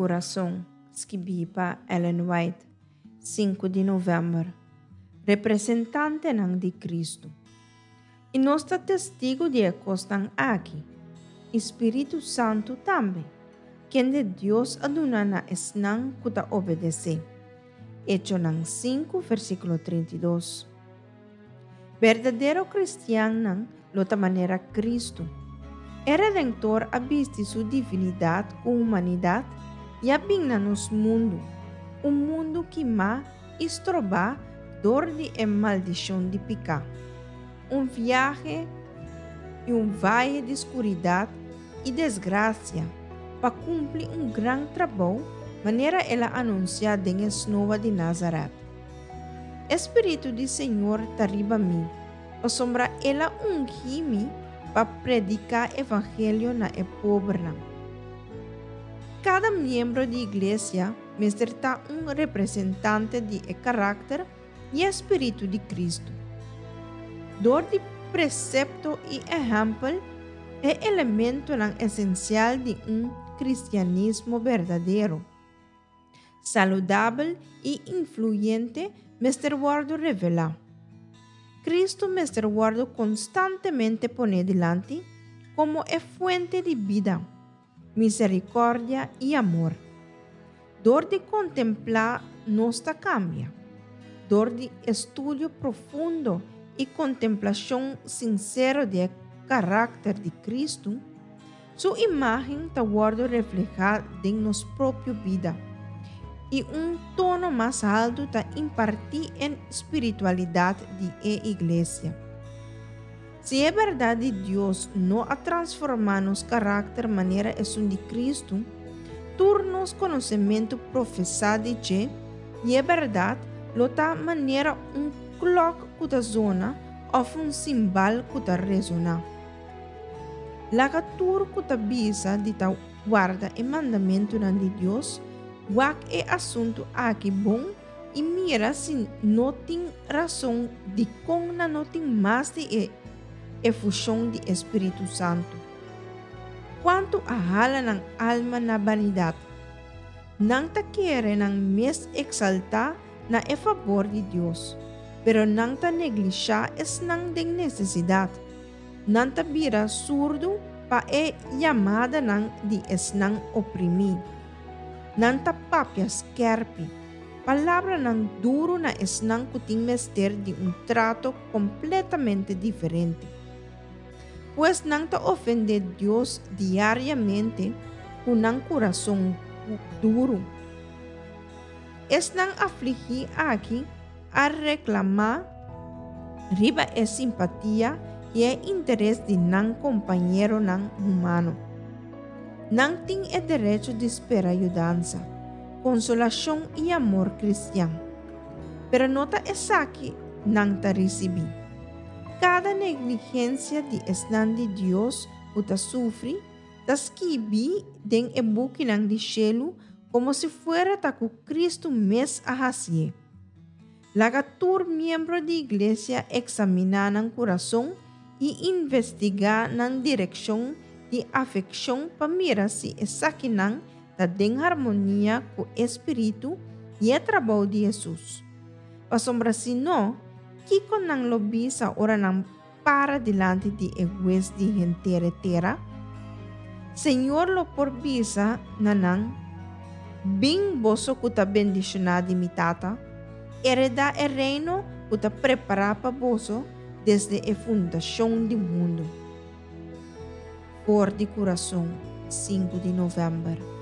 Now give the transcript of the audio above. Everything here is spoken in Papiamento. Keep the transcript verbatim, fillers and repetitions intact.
Kurason, skibí pa Ellen White, sinku di novèmber. Representantenan di Kristu. I nos ta testigu di e kosnan aki, i Spiritu Santu tambe, kende Dios a duna na esnan ku ta obedesé. Echonan sinku, versíkulo trinta i dos. Berdadero kristiannan lo ta manera Kristu. E Redentor a bisti su divinidat ku humanidat i a bin na nos mundu, un mundu kimá i strobá dor di e maldishon di piká. Un viahe i un vaye di skuridat i desgrasia pa kumpli un gran trabou manera el a anunsiá den e snoa di Nazaret. E Spiritu di Señor ta riba mi, pasobra el a ungi mi pa prediká evangelio na e pobernan. Kada miembro di Iglesia mester ta un representante di e karakter i e spiritu di Kristu. Dor di presepto i ehèmpel, e elementonan esensial di un kristianismo berdadero, saludabel i influyente mester wòrdu revelá. Kristu mester wòrdu konstantemente poné dilanti komo e fuente di bida, miserikòrdia i amor. Dor di kontemplá nos ta kambia. Dor di estudio profundo i kontemplashon sinsero di e karakter di Kristu, su imágen ta wòrdu reflehá den nos propio bida, i un tono mas haltu ta impartí e spiritualidat di e Iglesia. Si e bèrdat di Dios no a transformá nos karakter manera esun di Kristu, tur nos konosementu profesá di dje i e bèrdat lo ta manera un klòk ku ta zona òf un simbal ku ta resoná. Laga tur ku ta bisa di ta warda e mandamentunan di Dios wak e asuntu aki bon i mira si no tin rason dikon nan no tin mas di e efushon di e Spiritu Santu. Kuantu a hala nan alma na banidat! Nan ta kere nan mes eksaltá na e fabor di Dios, pero nan ta neglishá esnan den nesesidat. Nan ta bira surdu pa e yamadanan di esnan oprimí. Nan ta papia skèrpi, palabranan duru na esnan ku tin mester di un trato kompletamente diferente. Pues nan ta ofendé Dios diariamente ku nan kurason duru. Esnan afligí aki a reklamá riba e simpatia i e interes di nan kompañeronan humano. Nan tin e derecho di spera yudansa, konsolashon i amor kristian. Pero no ta esaki nan ta risibí. Kada negligensia di esnan di Dios ku ta sufri ta skibí den e bukinan di shelu komo si fuera ta ku Kristu mes a hasié. Laga tur miembro di Iglesia eksaminá nan kurason i investigá nan direkshon di afekshon pa mira si esakinan ta den harmonia ku e spiritu i e trabou di Hesus. Pasobra si no, kiko nan lo bisa ora nan para dilanti di e Hues di henter e tera? Señor lo por bisa na nan, Bin boso ku ta bendishoná di mi Tata, heredá e reino ku ta prepará pa boso desde e fundashon di mundu. For di Kurason, sinku di novèmber.